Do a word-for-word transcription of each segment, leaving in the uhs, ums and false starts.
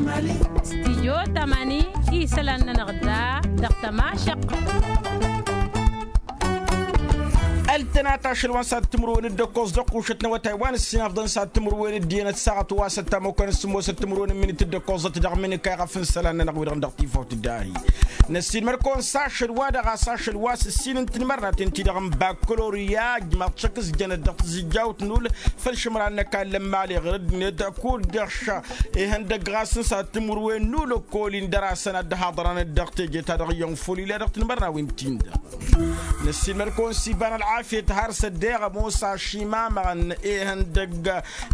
Stijyo tamani isălan-nănăɣ da dăɣ-tămašăq. Ăltănat ašăl wa n-sad timǝrwen d-ăkkoẓ dăɣ-kušăt n-awătay wa n-ǝssin afḍăn sad timǝrwen d-iyyăn ăssaɣăt wa s-ăttam okăn s-sǝmmosăt timǝrwen n-imǝnit d-ăkkoẓăt dăɣ-imǝnǝk a iɣăf n-isălan-nănăɣ wi-dăɣ dăɣ-tifawt d-ahi. Năssiilmăd-kăwăn s-ašăl wa dăɣ-a-s ašăl wa s-ǝssin n-tinmărnaten-ti-dăɣ n-bakkalorya ǝjmaḍ šăk s-jănăt dăɣ-tizǝjjawt n-ul făll-išǝmran n-ăkall n-imali ɣǝr-ăddinăt kud-dăɣ š-ihăndăgg ɣas n-sad timǝrwen n-ulăkkol-in dăr-asăn ad-dd-haḍărăn dăɣ-teje-ta-dăɣ iyyăn făll-ila dăɣ-tinmărnawen-tin-dăɣ. Năssiilmăd-kăwăn s-iba n-ălɣafyăt har s-ăddeɣ ămoos ašimamăɣăn ihăndăgg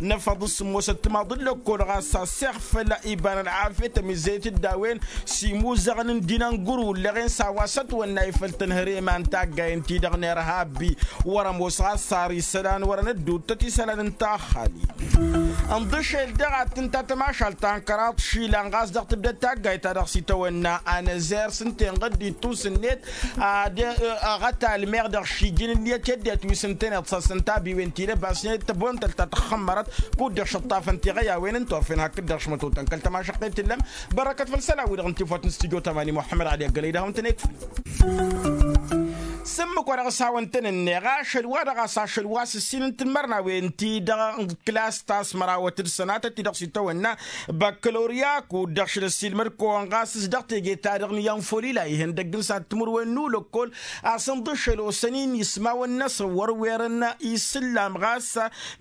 n-efăḍ s-sǝmmosăt timaḍ n-lăkkol ɣas a-s iɣfăl iba n-ălɣafyăt ămizăyăt-dd a-wen s-imuzăɣăn n-dinănguru ǝllăɣen s-a-wa s-ătwănna ifăl tănhăre iman taggayen-ti-dăɣ n-irhabbi wăr-ămoos ɣas har isălan wăr-ănădduttăt isălan n-taxxali. Ǝnḍǝšel dăɣ-ad-tǝnta tămašalt ta n-kăraḍ išilan ɣas dăɣ-tǝbdăd taggayt-ta-dăɣ s-itawănna anăzer s-ǝnta enɣăd d-ittus-net ad-aɣătal meɣ dăɣ-šijǝn ǝnniyăt i-ăddinăt wi s-ǝntăneḍ s-asăn tabiwen-ti-dăɣ basnet tăbonăt ălta tăxxămmărăt kud-dăɣ šăṭṭafăn tiɣăy a-wen n-torfen hakd-dăɣ šmătotăn kăl-tămašăqqet tǝllăm. Bărăkăt făll-isălan-wi-dăɣ n-tifawt n-studyo tamani muḥămmăd ɣali ăggălăy dăɣ-hawăn-tăn-ekfăn. S-ǝmmǝk wa dăɣ-s hawăn-tăn-ǝnneɣ ašăl wa dăɣ-a-s ašăl wa s-ǝssin n-tinmărnawen-ti-dăɣ n-klas ta s-mărawăt d-sănatăt-ti-dăɣ s-itawănna bakkalorya kud-dăɣ šăl ăssiilmăd-kăwăn ɣas s-dăɣ teje-ta-dăɣ n-iyyăn folila ihăndăgg n-sad timǝrwen n-ulăkkol a-s ǝnḍǝšel osăn-in ismawăn-năsăn wăr-werăn isǝllam ɣas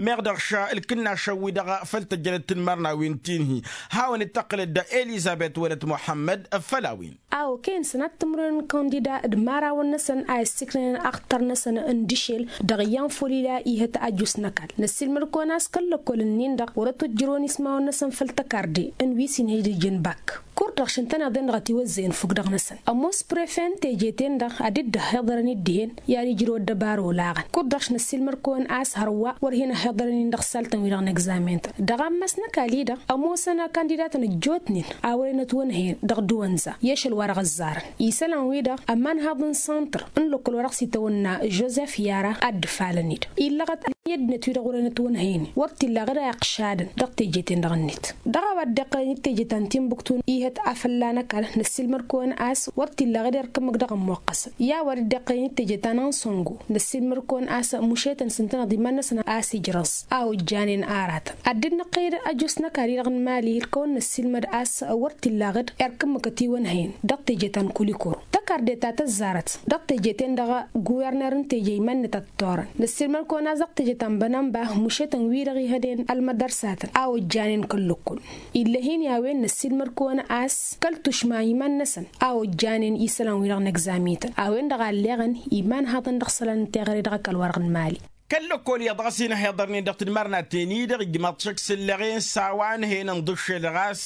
meɣ dăɣ-š ǝlkǝnnašăn-wi-dăɣ făll-tăjjănăt tinmărnawen ti n-hi. Hawăn-dd-tăqqǝlăd elizăbet wălăt muḥămmăd făll-a-wen. A okăyăn sănat timǝrwen n-kandida d-imarawăn-năsăn a issǝknăyăn axtar-năsăn n-dǝšel dăɣ-iyyăn folila ihăt ajus n-ăkall năssiilmăd-kăwăn a-s kăl-lăkkol-ǝnnin-dăɣ wăr-ătwăjjărăwăn ismawăn-năsăn făll-tăkarde n-wi s-inhǝj d-ijǝn bak. Kud-dăɣ šăn tăneḍen dăɣ-ătiwăzzăyăn fukk dăɣ-năsăn ămoos prefe n-teje-ten-dăɣ ad-dd-ăhhiḍărăn d-dihen i-ad-ijrăw ăddăbar olaɣăn kud-dăɣ šăn ăssiilmăd-kăwăn a-s hărwa wăr hin-ăhhiḍărăn-in dăɣ-saltăn-wi-dăɣ n-egzamen-tăn. Dăɣ-ammas n-ăkall-i-dăɣ ămoosăn akandida-tăn ăjjootnen a wărăn ătwănhăyăn dăɣ-dăwănza i-ašăl wa dăɣ-ăzzarăn isălan-wi-dăɣ ămanhaḍ n-sănṭăr n-lăkkol wa dăɣ-s itawănna žozef yara ad-dd-ǝfalăn-dd illăɣăt ălmăyăddinăt-wi-dăɣ wărăn ătwănhăyăn wăr t-illa ɣǝr a iqqšadăn dăɣ-teje-ten-dăɣ-net. Dăɣ-a-wa dd-iqqălăn d-teje ta n-timbuktu ihăt afălla n-ăkall năssiilmăd-kăwăn a-s wăr t-illa ɣǝr irk ǝmmǝk dăɣ-ămmoqqăsăn. I-a-wa dd-iqqălăn d-teje ta n-ansăngo năssiilmăd-kăwăn a-s mušetăn s-ǝntăneḍ iman-năsăn a-s ijrăẓ a ojjanen aratăn. Ad-dd-năqqăy d-ajus n-ăkall-i-dăɣ n-imali d-kăwăn-năssiilmăd a-s wăr t-illa ɣǝr irk ǝmmǝk ătiwănhăyăn dăɣ-teje ta n-kulikoro. Tăkarde ta tăzzarăt dăɣ-teje-ten-dăɣ guwărner n-teje iman-net a t-torăn năssiilmăd-kăwăn a-s dăɣ-teje ta n-bănănba mušetăn-wi-dăɣ ihănen ălmădărsatăn a ojjanen kăl-lăkkul. Ill'-e-hin i-a-wen năssiilmăd-kăwăn a-s kăl-tušma iman-năsăn a ojjanen isălan-wi-dăɣ n-egzamităn a-wen-dăɣ a ălleɣăn imanhaḍăn dăɣ-isălan n-teɣăre dăɣ-ăkall-wa-dăɣ n-imali. Kăl-lăkkol iyyăḍ ɣas inhăyăḍărnen dăɣ-tǝdmarnaten-i-dăɣ ijmaḍ-t šăkk s-ǝllăɣen s-a-wa ǝnhăyăn ǝnḍǝššel ɣas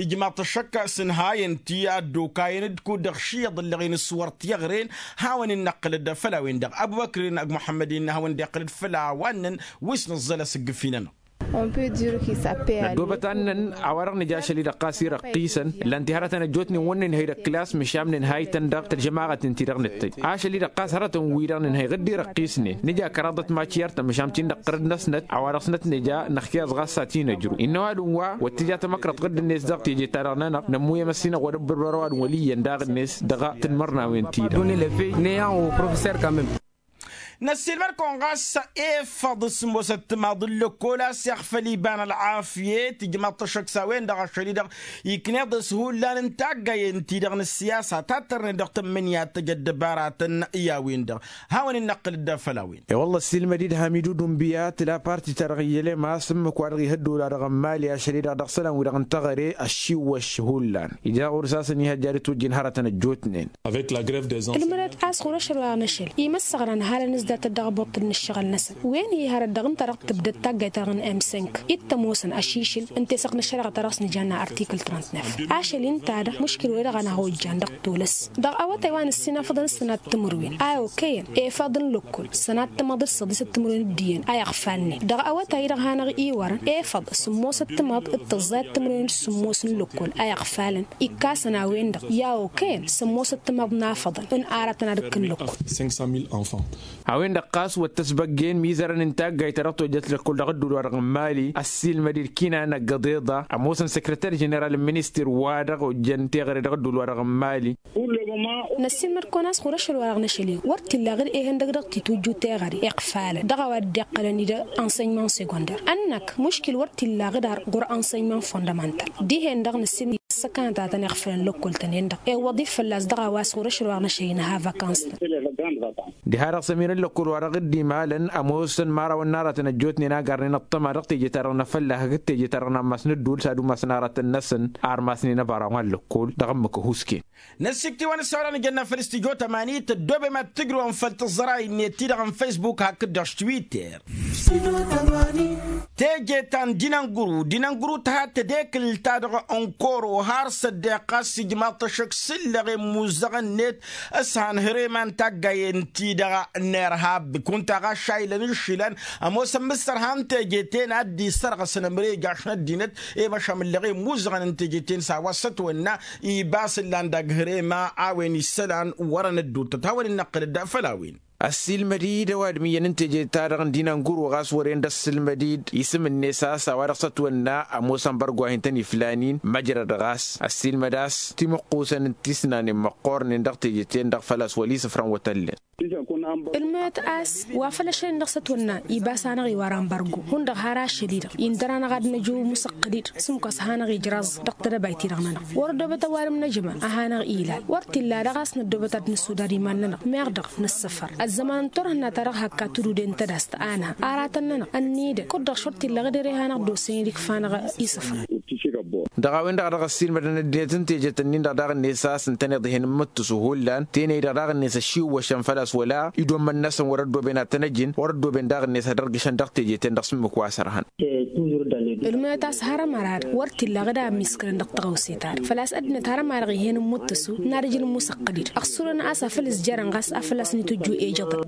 ijmaḍ-t šăkk s-ǝnhayăn-t i-ad-dd-okayăn d-kud-dăɣ šiyăḍ ǝllăɣen s-wăr t-iɣren. Hawăn-in-năqqǝlăd făll-a-wen-dăɣ ăbubăkr-in ăgg muḥămmăd-in hawăn-dd-iqqǝlăd făll-a-wa ǝnnăn wi s-nǝẓẓăl asǝggǝf-inănăɣ. Năddoobăt ad-nǝnnăn a-wa-dăɣ nǝja ašăl-i-dăɣ ɣas irăqqisăn ǝllan-ti hărătăn ăjjootnen wăr nǝnhăy d-ăkkǝlas măšan nǝnhăy-tăn dăɣ-tălžămaɣăt-in-ti-dăɣ nǝttăj ašăl-i-dăɣ ɣas hărătăn-wi-dăɣ nǝnhăy ɣǝr-dd irăqqisnen nǝja kăraḍăt mačiyăr-tăn măšan tinăqqărăd-năsnăt a-wa-dăɣ s-năt nǝja năxkăyăẓ ɣas a ti-năjru. Innă ăwadǝm wa wăr t-ija tamăkrăḍt ɣǝdd-net dăɣ-teje-ta-dăɣ-nănăɣ nămmuyyăm ăssinăɣ wăr-ăbbăr wăr-ăwadǝm wăl' iyyăn daɣ-net dăɣ-tǝdmărnawen-ti-dăɣ. Năssiilmăd-kăwăn ɣas efăḍ s-ămoosăt timaḍ n-lăkkol a-s iɣfăl iba n-ălɣafyăt ijmaḍ-t ăššăk s-a-wen-dăɣ ašăl-i-dăɣ ikneḍ-s hullan n-taggayen-ti-dăɣ n-ăssiyasa tattărnen dăɣ-tǝmmǝnǝya tăj ăddăbaratăn i-a-wen-dăɣ. Hawăn-in-năqqǝlăd făll-a-wen. E-wălla ăssiilmăd-dd hamidu dunbiya tǝla parti-ta-dăɣ iyyălem a-s ǝmmǝk-wa-dăɣ ihăddol-a-dăɣ n-imali ašăl-i-dăɣ dăɣ-isălan-wi-dăɣ n-teɣăre ăššiwwăš hullan ija ɣur-s a-s ănihăjja ad-ǝtwǝjjǝn hărătăn ăjjootnen. Tǝlmǝdăt a-s ɣur-ašăl wa dăɣ-năšăl imăssăɣran halăn-s datăt dăɣ-abuṭṭǝl n-ǝššăɣǝl-năsăn wen-hi hărăt dăɣ-ǝnta dăɣ-tǝbdăd taggayt-ta-dăɣ n-m cinq. Dd-tămoosăn ašišǝl ǝnta i-săɣ n-ăššăreɣa ta dăɣ-s nǝjanna artikǝl trăntnef. Ašăl-i ǝnta-dăɣ muškil wa-dăɣ a năhojjan dăɣ-tolăs dăɣ-awătay wa n-ǝssin afăḍăn s-sănat timǝrwen a okăyăn efăḍ n-lăkkol sănat timăḍ d-săḍisăt timǝrwen d-iyyăn a iɣfalnen dăɣ-awătay-dăɣ hanăɣ-iwărăn efăḍ sǝmmosăt timăḍ d-tăẓẓayăt timǝrwen d-sǝmmos n-lăkkol a iɣfalăn. Ikkasăn a-wen-dăɣ i-a okăyăn sămmosăt timăḍ n-afăḍăn n-aratăn ad-ǝkkǝn lăkkol. A-wen-dăɣ ɣas wăr t-ăsbăggen imizărăn n-taggayt ta dăɣ-tojjăt lăkkol dăɣ-ădduul-wa-dăɣ n-mali ăssiilmăd-dd kinana găḍeḍa ămoosăn săkrăter ženeral n-ministir-wa-dăɣ ojjăn teɣăre dăɣ-ădduul-wa-dăɣ n-mali. Năssiilmăd-kăwăn a-s ɣur-ašăl-wa-dăɣ n-ašăl-i wăr t-illa aɣǝd ehăndăg dăɣ-titujju teɣăre iqfalăn dăɣ-a-wa dd-iqqălăn-dd ănsenyman segonder ănn-ak muškil wăr t-illa aɣǝd ar ɣur-ănsenyman fondămantal. Dihen-dăɣ năssiilmăd-dd ăssăkanătatăn iɣfălăn lăkkol-tăn-en-dăɣ ewwăḍ-i fălla-s dăɣ-a-wa s-ɣur-ašăl-wa-dăɣ n-ašăl-i nǝha vakans-tăn. Diha-dăɣ s-ămirăn lăkkol-wa-dăɣ dd-imalăn ămoosăn imărawăn n-aratăn ăjjootnen a garnen ăṭṭăma dăɣ-teje-ta-dăɣ n-afălla hakd teje-ta-dăɣ n-ammas n-ădduul s-ad-umasăn aratăn-năsăn armasnen ăbaraw n-lăkkol dăɣ-ǝmmǝk ăhuusken. Năssikt'-iwăn s-a-wa-dăɣ nǝjănna făll-s tijo tămani tăddoobem ad-tǝjrǝwăm făll-tǝẓẓăray-net-ti-dăɣ n-facebook hakd-dăɣ s-twitter. Teje ta n-dinănguru dinănguru tăha tedekǝlt-ta-dăɣ n-koro har s-ăddeɣ ɣas ijmaḍ-t ăššăk s-ǝllăɣ i-immuzăɣăn-net s-han hărema n-taggayen-ti-dăɣ n-irhab kunta ɣas šaylăn ǝššilăn ămoosăn mǝssărha n-teje-ten ad-dd-isărɣăsăn ămrejăš n-ăddinăt i-măšamǝllăɣ i-immuzăɣăn n-teje-ten s-a-wa s-ătwănna. Ibas ǝllan dăgg-hărema a-wen issălan wărăn ădduuttăt hawăn-in-năqqǝl dd-făll-a-wen. Ăssiilmăd-dd ăwadǝm iyyăn n-teje-ta-dăɣ n-dinănguru ɣas wăren d-ăssiilmăd-dd isǝm-net a-s a-wa dăɣ-s ătwănna ămoosăn bărgu a hin-tăn-iflan-in măjrăd ɣas ăssiilmăd a-s timǝqqusăn n-tisnanen măqqornen dăɣ-teje-ten-dăɣ făl-a-s wăl-isǝfrăn wătăllen. Ǝlmăyăt a-s wa făl ašăl-in-dăɣ s-ătwănna ibas a hanăɣ-iwar anbărgu hundăɣ har ašăl-i-dăɣ indăr-anăɣ ad-năju musăqqǝd-dd s-ǝmmǝk wa s-ad-hanăɣ-ijraẓ dăɣ-tedăbayt-i-dăɣ-nănăɣ wăr-ăddoobăt ăwadǝm n-ajǝma a hanăɣ-ilal wăr t-illa daɣ a-s năddoobăt ad-nǝssudad iman-nănăɣ meɣ dăɣ-nǝssăfăr ăzzăman n-turhǝnna-ta-dăɣ hakka tududen tădast a nǝha aratăn-nănăɣ ănnidăn kud-dăɣ šor t-illa ɣǝd ere hanăɣ-dd-osen idǝkf'-anăɣ isǝfrăn. Dăɣ-a-wen-dăɣ a dăɣ-ăssiilmădăn ăddinăt n-tejet-ǝnnin-dăɣ daɣ-net a-s ǝntăneḍ ihăn n-imǝttǝsu hullan tenăy-dăɣ daɣ-net ăšiwwăšăn făl-a-s wăla idommăn-năsăn wăr-ăddooben ad-tăn-ăjǝn wăr-ăddooben daɣ-net ad-ărgǝšăn dăɣ-tejet-en-dăɣ s-ǝmmǝk wa sărhăn. Ǝlmǝyăt a-s har ămăra-dăɣ wăr t-illa aɣǝd a ămmiskǝlăn dăɣ-taɣăwse-ta-dăɣ făl-a-s ăddinăt har ămăra-dăɣ ih'-en n-imǝttǝsu n-ad-ăj n-imusăqqǝd-dd ăɣsurăn a-s afăl ǝzjarăn ɣas afăl a-s n-itǝjju ejăḍăn.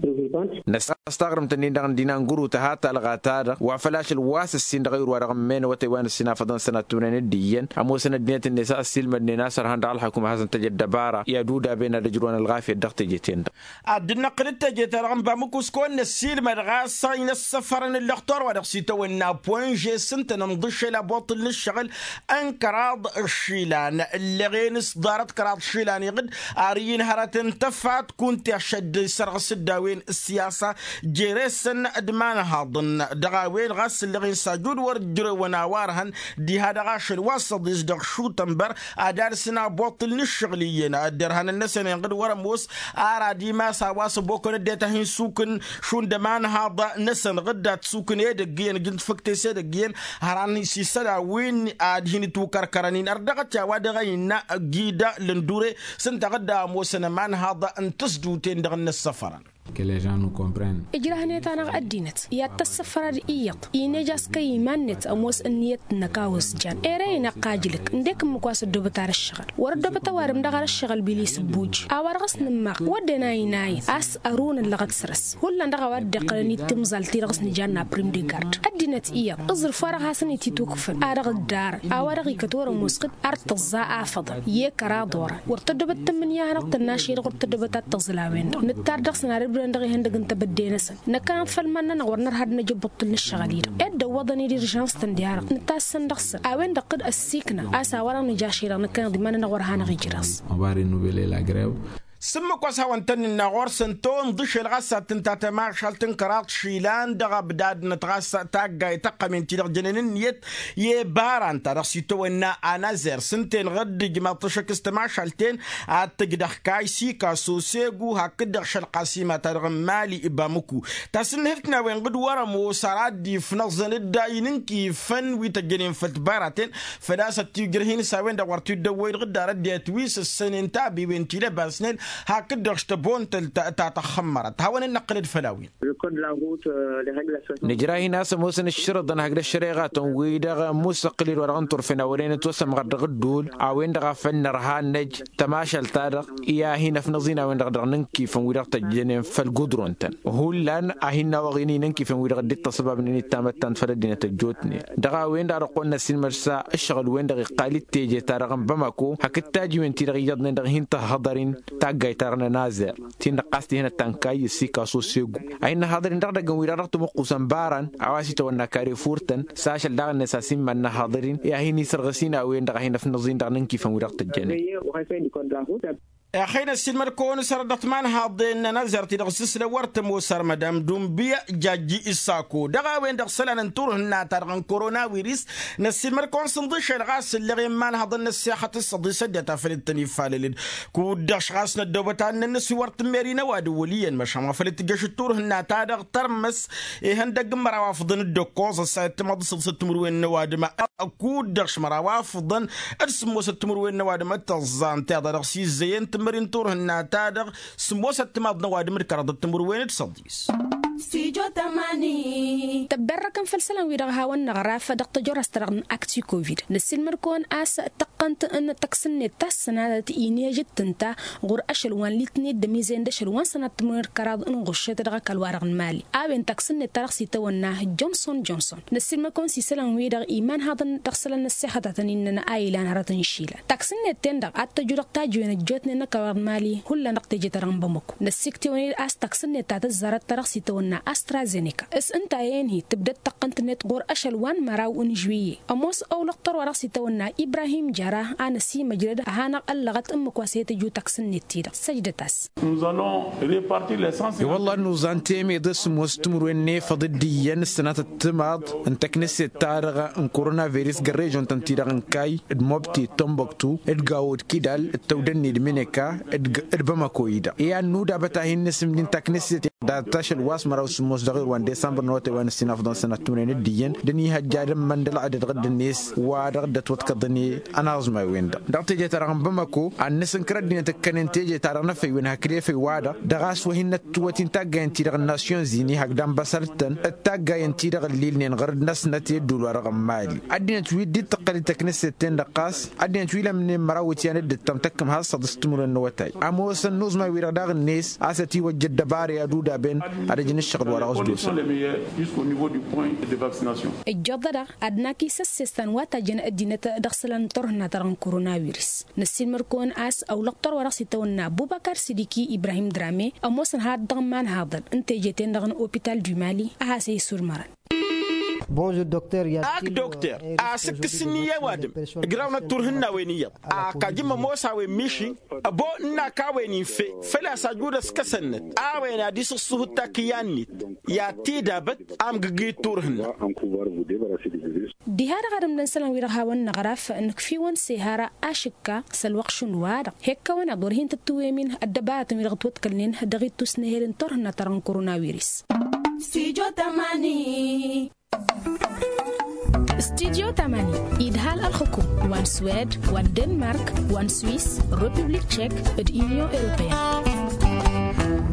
Năsas taɣrǝmt-ǝnnin-dăɣ n-dinanguru tăha talɣa-ta-dăɣ wa făl ašăl wa s-ǝssin dăɣ-ayǝr-wa-dăɣ ǝmmenăwătăy wa n-ǝssin afăḍăn sănattumnen d-iyyăn ămoosăn ăddinăt-net a-s ăssiilmădnen a-s ărhan dăɣ-ălxăkum ad-hasăn-tăj ăddăbara i-ad-udaben ad-ăjrǝwăn ălɣafyăt dăɣ-teje-ten-dăɣ. Ad-dd-năqqǝl d-teje-ta-dăɣ n-bamǝkus kăwăn-năssiilmăd ɣas a inăssăfărăn ǝllăxtor wa dăɣ-s itawănna poinže s-ǝntănăn ḍǝššel abuṭṭǝl n-ǝššăɣǝl n-kăraḍ išilan ǝllăɣen s-ḍarăt kăraḍ išilan iɣǝd ar ǝyyǝn hărăt n-tăfat kunta išădd isărɣǝs-dd a-wen ǝssiyasa. Jere-săn d-imanhaḍăn dăɣ-a-wen ɣas ǝllăɣen s-ajud wăr ǝjrewăn a-wa ărhăn diha dăɣ-ašăl wa s-ăḍis dăɣ-šutănbăr ad-alsǝn abuṭṭǝl n-ǝššăɣǝl iyyăn ăddărhanăn-năsăn inɣǝd wăr-ămoos. Ar ad-imas a-wa s-ăbokăn ăddinăt a hin-sukǝn šund ămanhaḍ-năsăn ɣǝdda t-sukǝn edăgg iyyăn ǝjǝn tafǝkte s-edăgg iyyăn hăran s-isălan wi ad-hin-ǝtwǝkărkărăn-in ărdăɣăt i-a-wa dăɣ-a innă gida lăndure s-ǝnta ɣǝdda ămoosăn ămanhaḍ n-tǝsduten-dăɣ n-inăssăfărăn. Ǝjrăhnet-anăɣ ăddinăt i-ad-tăssăfăr ad-iyyăḍ inej a-s kăy-iman-net ămoos ǝnniyăt-năk a osjan ere-i n-ăqqajlǝk ǝndek ǝmmǝk wa s-ăddoobăt ar ǝššăɣǝl wăr-ăddoobăt ăwadǝm dăɣ-ar ǝššăɣǝl bilis ǝbbuj. A-wa-dăɣ s-nǝmmaɣ wădden a inayǝn a-s ărun ăllăɣăt săr-s hullan dăɣ-a-wa dd-iqqălăn i-timẓal-ti-dăɣ s-nǝjanna prim de gard ăddinăt iyyăḍ. Ǝẓrǝf wa dăɣ-hasăn-itit ukfǝn a dăɣ-ǝddarăn a-wa dăɣ-ikăt wăr-ămoos ɣǝd ar tǝẓẓa afăḍăn i-kăraḍ orăn wăr tăddoobăt tǝmmǝnǝya a hanăɣ-tănnašăy-dăɣ wăr tăddoobăt ad-tăẓǝl a-wen-dăɣ nǝttar dăɣ-săn ad-ǝbrǝdăn dăɣ-ihăndăg n-tebădde-năsăn. Năkkăneḍ făll-iman-nănăɣ wăr nărha ad-năj ăbbuṭṭǝl n-ǝššăɣǝl-i-dăɣ ed dăwwăḍăn-dd irǝžans-tăn di-ha-dăɣ nǝttas-săn dăɣ-săn a-wen-dăɣ kăd-ăssiikna a-s a-wa-dăɣ nǝjašăy-dăɣ năkkăneḍ iman-nănăɣ wăr hanăɣ-ijrăẓ. S-ǝmmǝk wa s-hawăn-tăn-nǝnna ɣur-săn tondǝšel ɣas ad-tǝnta tămašalt n-kăraḍ išilan dăɣ-ăbdadnăt ɣas taggayt tăqqămen-ti-dăɣ jănen ǝnniyăt i-ibaran-ta-dăɣ s-itawănna anazer s-ǝnta-en ɣǝdd ǝjmaḍ-t ăššăk s-tămašalt-en ad-tǝjdăɣ kaysi kaso segu hakd-dăɣ šălqasima-ta-dăɣ n-mali bamǝku. Tasǝnnǝhǝlt n-a-wen ɣǝd wăr-ămoos ar ad-dd-ifnăẓăn dd-a inǝnkifăn wi tăjjănen făll-tibaraten făl-a-s ăttiwjrăh-in s-a-wen-dăɣ wăr t-dd-ăwwăy-dăɣ dd-arăt d-etwisǝssănen tabǝwen ti lăbasnen hakd-dăɣ š-tăbontă ta tăxxămmărăt hawăn-in-năqqǝl d-făll-a-wen. Nǝjrah-in a-s ămoosăn ǝššărǝḍăn hakd ăššăreɣatăn-wi-dăɣ musăqqǝl-dd wa dăɣ-n turfen a wăren ătwăsămɣăr dăɣ-ǝddul a-wen-dăɣ a făl nărha ad-năj tămašalt-ta-dăɣ i-ad-hin-ăfnăẓ-in a-wen-dăɣ dăɣ-inǝnkifăn-wi-dăɣ tăjjănen făll-gudron-tăn. Hullan a hin-nawăɣ-in inǝnkifăn-wi-dăɣ dd-ittăṣăbabnen d-tamăttant făll-ăddinăt ăjjootnen dăɣ-a-wen-dăɣ a dăɣ-kăwăn-năssiilmăd s-ǝššăɣǝl-wen-dăɣ iqqal-dd teje-ta-dăɣ n-bamako hakd tajiwen-ti-dăɣ iyyăḍnen dăɣ-hin-tăhhăḍăr-in. Tagg tăggayt-ta-dăɣ n-ănazer ti-dăɣ ɣas tihănăt ta n-kayy ăssiik a-s osegu a hin-năhaḍăr-in dăɣ-idăgg n-wi-dăɣ dăɣ-tamăqqus n-ibarăn a-wa s-itawănna karefur-tăn. S-ašăl daɣ-net a-s iman-năhaḍăr-in i-ad-hin-isărɣǝs-in a-wen-dăɣ a hin-ăfnăẓ-in dăɣ-inǝnkifăn-wi-dăɣ tăjjănen. Ixăyy n-ăssiilmăd-kăwăn-s ărăt dăɣ-timanhaḍen n-ănazer ti-dăɣ s-isǝlăn wăr tămoos ărmăd amdunbiya jajji issako dăɣ-a-wen-dăɣ isălan n-turhǝnna-ta-dăɣ n-korona wiris. Năssiilmăd-kăwăn-s ǝnḍǝšen ɣas ǝlleɣ i-imanhaḍăn n-ăssixăt s-săḍisăt deta făl dd-tăn-ifalălăn. Kud-dăɣ š-ɣas năddoobăt ad-nănnăs wi wăr tǝmmer-in ăwadǝm wăl' iyyăn măšan wa făl dd-tǝjjăš d-turhǝnna-ta-dăɣ tărmăs. Ihăndăgg n-măraw afḍăn d-ǝkkoẓ ăssayăt timaḍ s-săḍisăt timǝrwen n-ăwadǝm. Kud-dăɣ š-măraw afḍăn d-sǝmmosăt timǝrwen n-ăwadǝm d-tăẓẓa ǝnta iḍa dăɣ-s izzăyăn tǝmmări n-turhǝnna-ta-dăɣ. Sǝmmosăt timaḍ n-ăwadǝm d-kăraḍăt timǝrwen d-săḍis. Tăbberrăkăn făll-isălan-wi-dăɣ a hawăn-năɣraf dăɣ-tăjorrast-ta-dăɣ n-aktikovid năssiilmăd-kăwăn a-s tăqqănt n-taksǝnnet ta s-sănatăt inej d-tǝnta ɣur-ašăl wa n-litnet d-ămizăyăn d-ašăl wa n-sănatăt timǝrwen d-kăraḍ n-ɣuššăt dăɣ-ăkall-wa-dăɣ n-imali. A-wen taksǝnnet ta dăɣ-s itawănna johnson johnson năssiilmăd-kăwăn s-isălan-wi-dăɣ imanhaḍăn dăɣ-isălan n-ăssixăt a tăn-innăn a ilan hărăt n-išilan taksǝnnet-ten-dăɣ ad-tăju dăɣ-tajǝwen ăjjootnen n-ăkall-wa-dăɣ n-imali. Hullan dăɣ-teje-ta-dăɣ n-bamăko năssiktewăn-dd a-s taksǝnnet ta tăzzarăt ta dăɣ-s itawănna astrazeneka s-ǝnta a i-inhi tǝbdăd tăqqăn-tăn-net ɣur-ašăl wa n-măraw n-žuwiyye. Ămoos ăwlăɣ tărwa dăɣ-s itawănna ibrahim jăra a năsimăjrăd ad-hanăɣ-ăllăɣăt ǝmmǝk wa s-he-tăju taksǝnnet-ti-dăɣ săjdăt-as. I-wălla ad-nuẓan temeḍe s-ămoos timǝrwen n-efăḍ d-iyyăn ǝssănatăt timaḍ n-taknǝsset-ta-dăɣ n-koronavirus gărrežon-tăn-ti-dăɣ n-kayy d-mobti d-tomboktu d-gawo d-kidal d-tăwdănni d-mineka d-bamăko-i-dăɣ i-ad-nudabăt a hin-nǝsǝmdin taknǝsset data ašăl wa s-măraw s-sǝmmos dăɣ-irwan desămbăr n-awătay wa n-ǝssin afḍăn sănat timǝrwen d-iyyăn d-ăniihăjja d-ămmăn d-ălɣădăd ɣǝddǝnet wa-dăɣ dd-ătwătkăḍăn i-ănaẓmay-wen-dăɣ. Dăɣ-teje-ta-dăɣ n-bamăko ad-nǝsǝnkăr ăddinăt ǝkkănen teje-ta-dăɣ n-efăywen hakd efăy-wa-dăɣ dăɣ-a-s wa hin-năttǝwwăt-in taggayen-ti-dăɣ n-nasyon zini hakd anbăsăr-tăn d-taggayen-ti-dăɣ ǝllilnen ɣur-dd-năsnăt i-ădduul-wa-dăɣ n-mali. Ăddinăt wi dd-tǝqqăl i-taknǝsset-ten-dăɣ ɣas ăddinăt wi lămnen măraw iwǝtyan d-ǝttăm tăkkǝm has-săḍǝs timǝrwen n-awătay. Ămoosăn nuẓmay-wi-dăɣ daɣ-net a-s ătiwăjja ăddăbara i-ad-udaben ad-ăj n-ǝššăɣǝl wa dăɣ-s d-osăn. Ăjjoḍădăɣ ad-nak isăssestan wa tajjăn ăddinăt dăɣ-isălan n-turhǝnna-ta-dăɣ n-koronavirus. Năssiilmăd-kăwăn a-s ăwlăɣ tărwa dăɣ-s itawănna bubăkar sidiki ibrahim drame ămoosăn had-dăɣ n-imanhaḍăn n-teje-ten-dăɣ n-opital du mali a has-e-isurmărăn. Ak dokter a-s ǝkkǝsǝnni i-ăwadǝm ǝgrawnăt turhǝnna-wen iyyăḍ ak ajǝmm ămoos a-wen miši. Ăbo ǝnn'-ak a-wen infe făl-a-s ajud ăskăsănnăt a-wen ad-isǝṣṣuhǝd takǝyya-net i-ad-t-idabăt amgǝgǝy d-turhǝnna. Diha-dăɣ ad-ǝmdăn isălan-wi-dăɣ hawăn-năɣraf nǝkf'-iwăn s-ehara ašǝkka s-ălwăqq šund wa-dăɣ hekkăwăn-aḍ wăr hin-tǝttǝwwem-in ăddăbaratăn-wi-dăɣ ătwăḍkălnen dăɣ-ittus n-ehel n-turhǝnna-ta-dăɣ n-korona wiris. Studio tamani idhal ălxukum wa n-swed wa n-denmark wa n-swis, republik tšek d-union europeyăn.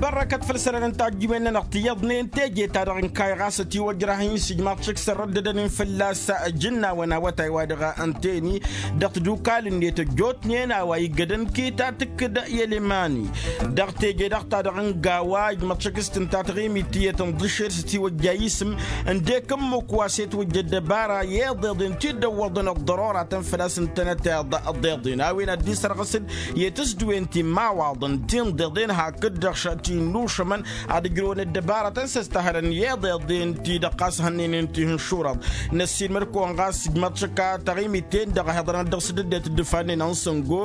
Bărrăkăt făll-isălan n-tajjǝwen-nănăɣ tiyyăḍnen teje-ta-dăɣ n-kayy ɣas ătiwăjrah-in s-ijmaḍ šik s-ărrăddădăn-in fălla-s ǝjǝnnawăn awătay wa dăɣ-ănteni dăɣ-tadukal-net ăjjootnen a-wa iggădăn kitatǝk d-ilimani dăɣ-teje-dăɣ ta-dăɣ n-gawa ijmăḍ šik s-tǝnta taɣimit tiyyăt ǝnḍǝšed s-ătiwăjja isǝm ǝndek ǝmmǝk wa s-e-twǝjja ăddăbara i-iḍeḍen ti dd-ăwwăḍăn ăḍḍăroratăn făl-a-s ǝntănăteḍ ăḍḍeḍen a-wen ad-dd-isărɣǝsǝd i-tǝsdǝwen ti n-imawaḍăn ti n-iḍeḍen hakd-dăɣ ti n-inušămăn ad-ǝjrăwăn ăddăbaratăn s-ăstăhălăn i-iḍeḍen-ti-dăɣ ɣas hănnen-in tihǝnšurăḍ. Năssiilmăd-kăwăn ɣas ǝjmăḍ šăkka taɣimit-ten-dăɣ a hi-iḍărăn dăɣ-sǝdǝdet d-ifannen ănsăngo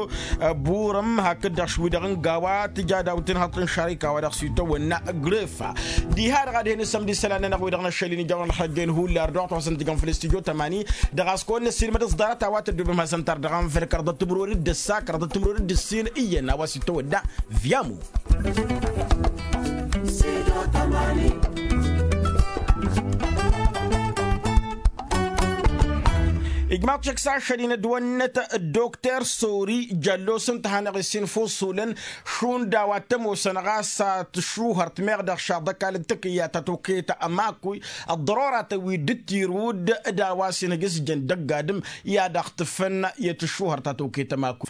ăburăm hakd-dăɣ š-wi-dăɣ n-gawa tǝja daw-tinhăḍt n-šarika wa dăɣ-s itawănna grefa. Diha-dăɣ ad-hen-isămd isălan-nănăɣ wi-dăɣ n-ašăl-in ijawăn ălxăjjăyăn hullar dăɣ-wa t-wa săn tǝjăn făll-studyo tămani. Dăɣ-a-s kăwăn-năssiilmăd ăẓḍarăt a-wa tăddobem hasăn-tar dăɣ-anvăl kăraḍăt timǝrwen d-ǝssa kăraḍăt timǝrwen d-ǝssin iyyăn a-wa s-itawănna. Vyamu. Ijmaḍ šik s-ašăl-in ădwănnăt ăddokter sori jăllos ǝnta a hanăɣ-issin fuṣulăn šund a-wa t-ămoosăn ɣas a tǝššuhărt meɣ dăɣ-šaḍ ăkall n-takǝyya ta tokăyăt ămakuy ăḍḍăroratăn wi dd-tirud d-a-wa s-inhǝj s-jăn dăgg-adǝm i-ad-aɣtǝfăn i-tǝššuhărt ta tokăyăt ămakuy.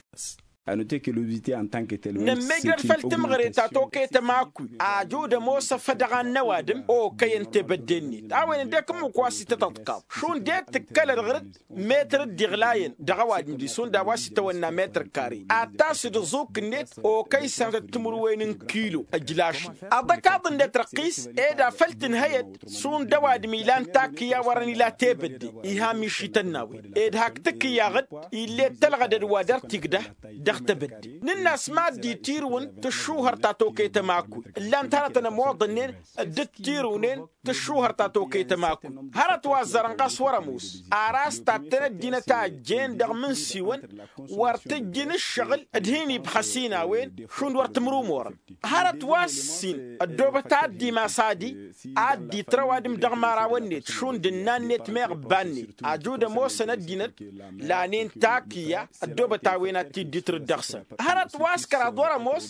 Nămmejrăd făll-timɣre ta tokăyăt ămakkuy ajud ămoos afădăɣ ad-năwadǝm okăyăn tebădde-net a-wen ăddek ǝmmǝk wa s-itătăḍkaḍ šund det tǝkkălăd ɣǝr-dd. Metăr dd-iɣlayăn dăɣ-ăwadǝm-di šund a-wa s-itawănna metăr kare ad-tasǝd ăẓuk-net okăy sănătăt timǝrwen n-kilo ăjlašăn. Aḍăkaḍ-net răqqis ed afăl tǝnhăyăd šund ăwadǝm ilan takǝyya wărăn ila tebădde iha mišităn n-a-wen ed hak tǝkkǝyyaɣ-dd ill'-e tălɣădăd wa dăr-tigdăh. Dăɣ-tebădde nǝnn'-as mad-dd-itirǝwăn tǝššuhăr ta tokăyăt ămakkuy ǝllan-t hărătăn ămoḍănnen dd-tirǝwnen tǝššuhăr ta tokăyăt ămakkuy. Hărăt wa ăzzărăn ɣas wăr-ămoos ar a-s tattăn ăddinăt a ăjjeen dăɣ-imǝnsiwăn wăr tǝjjǝn ǝššăɣǝl d-hin-ibxăs-in a-wen šund wăr tǝmrumorăn. Hărăt wa s-ǝssin ăddoobăt ad-dd-imas adi ad-dd-itrăw adǝm dăɣ-imărawăn-net šund ǝnnan-net meɣ ǝbba-net ajud ămoosăn ăddinăt lanen takǝyya ăddoobăt a-wen ad-t-dd-itrǝd dăɣ-săn. Hărăt wa s-kăraḍ wăr-ămoos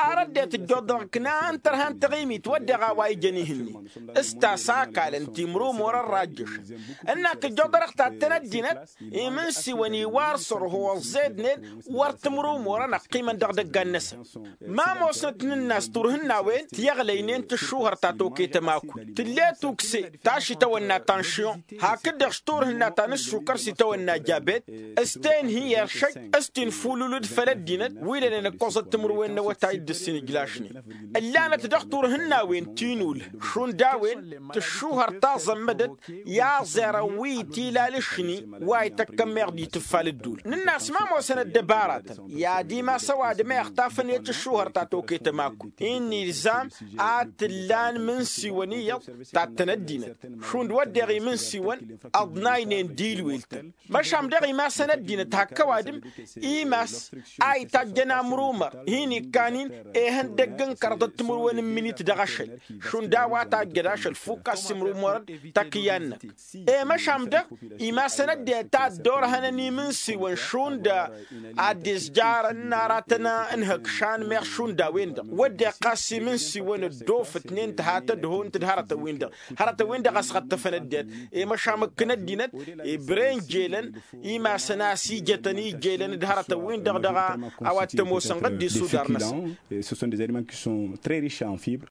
ar ăddinăt ǝjjoḍ dăɣ-iknan tărha n-taɣimit wădden a-wa ijăn ih'-net s-tasakalăn timrumorăn rajjăšăn. Ǝnn-ak ǝjjoḍ-dăɣ tattăn ăddinăt imǝnsiwăn iwar sărho ăẓẓednen wăr tǝmrumorăn ăqqimăn dăɣ-idăggan-năsăn. Ma ămoosnăt nǝnn'-as turhǝn n-a-wen tiyăɣlăynen tǝššuhăr ta tokăyăt ămakkuy tǝll'-e tukse ta š-itawănna tanšyon hakd-dăɣ s-turhǝnna ta n-ǝššukăr s-itawănna jabet. S-tenhi i-ăršăj s-tinfululǝd făll-ăddinăt wi lănen ǝkkoẓăt timǝrwen n-awătay dd-ǝssin ǝjlašnen. Ǝllanăt dăɣ-turhǝn n-a-wen tinulh šund a-wen tǝššuhăr taẓămmădăt i-aẓerăn wi itilal ǝšni wa ităkkăn meɣ d-itǝffal ǝddul. Nǝnn'-as ma ămoosăn ăddăbaratăn i-ad-imas ăwadǝm a ixtafăn i-tǝššuhăr ta tokăyăt ămakkuy-i n-ilzam ad-t-ǝllan imǝnsiwăn iyyăḍ tattăn ăddinăt šund wădden imǝnsiwăn ăḍnaynen d-ilwel-tăn. Măšan dăɣ-imasăn ăddinăt hak ăwadǝm imas a itajjăn amrumăr hin-ikkan-in ehăndăgg n-kărăḍăt timǝrwen n-iminit dăɣ-ašăl šund a-wa tajjăd ašăl fukk a-s imrumărăd takǝyya-năk. I-măšan dăɣ-imasăn ăddinăt a dd-orhănăn imǝnsiwăn šund ad-dd-izjarăn n-aratăn n-ihăkšan meɣ šund a-wen-dăɣ wădden ɣas imǝnsiwăn ăddoofătnen tǝha tădhont d-hărătăn-win-dăɣ. Hărătăn-win-dăɣ ăsɣăṭṭăfăn ăddinăt i-măšan mǝkkǝn ăddinăt ibren jelăn imasăn a-s ijătăn ijelăn d-hărătăn-win-dăɣ dăɣ-a-wa t-ămoosăn ɣǝddis udar-năsăn. Ce sont des aliments qui sont très riches en fibres.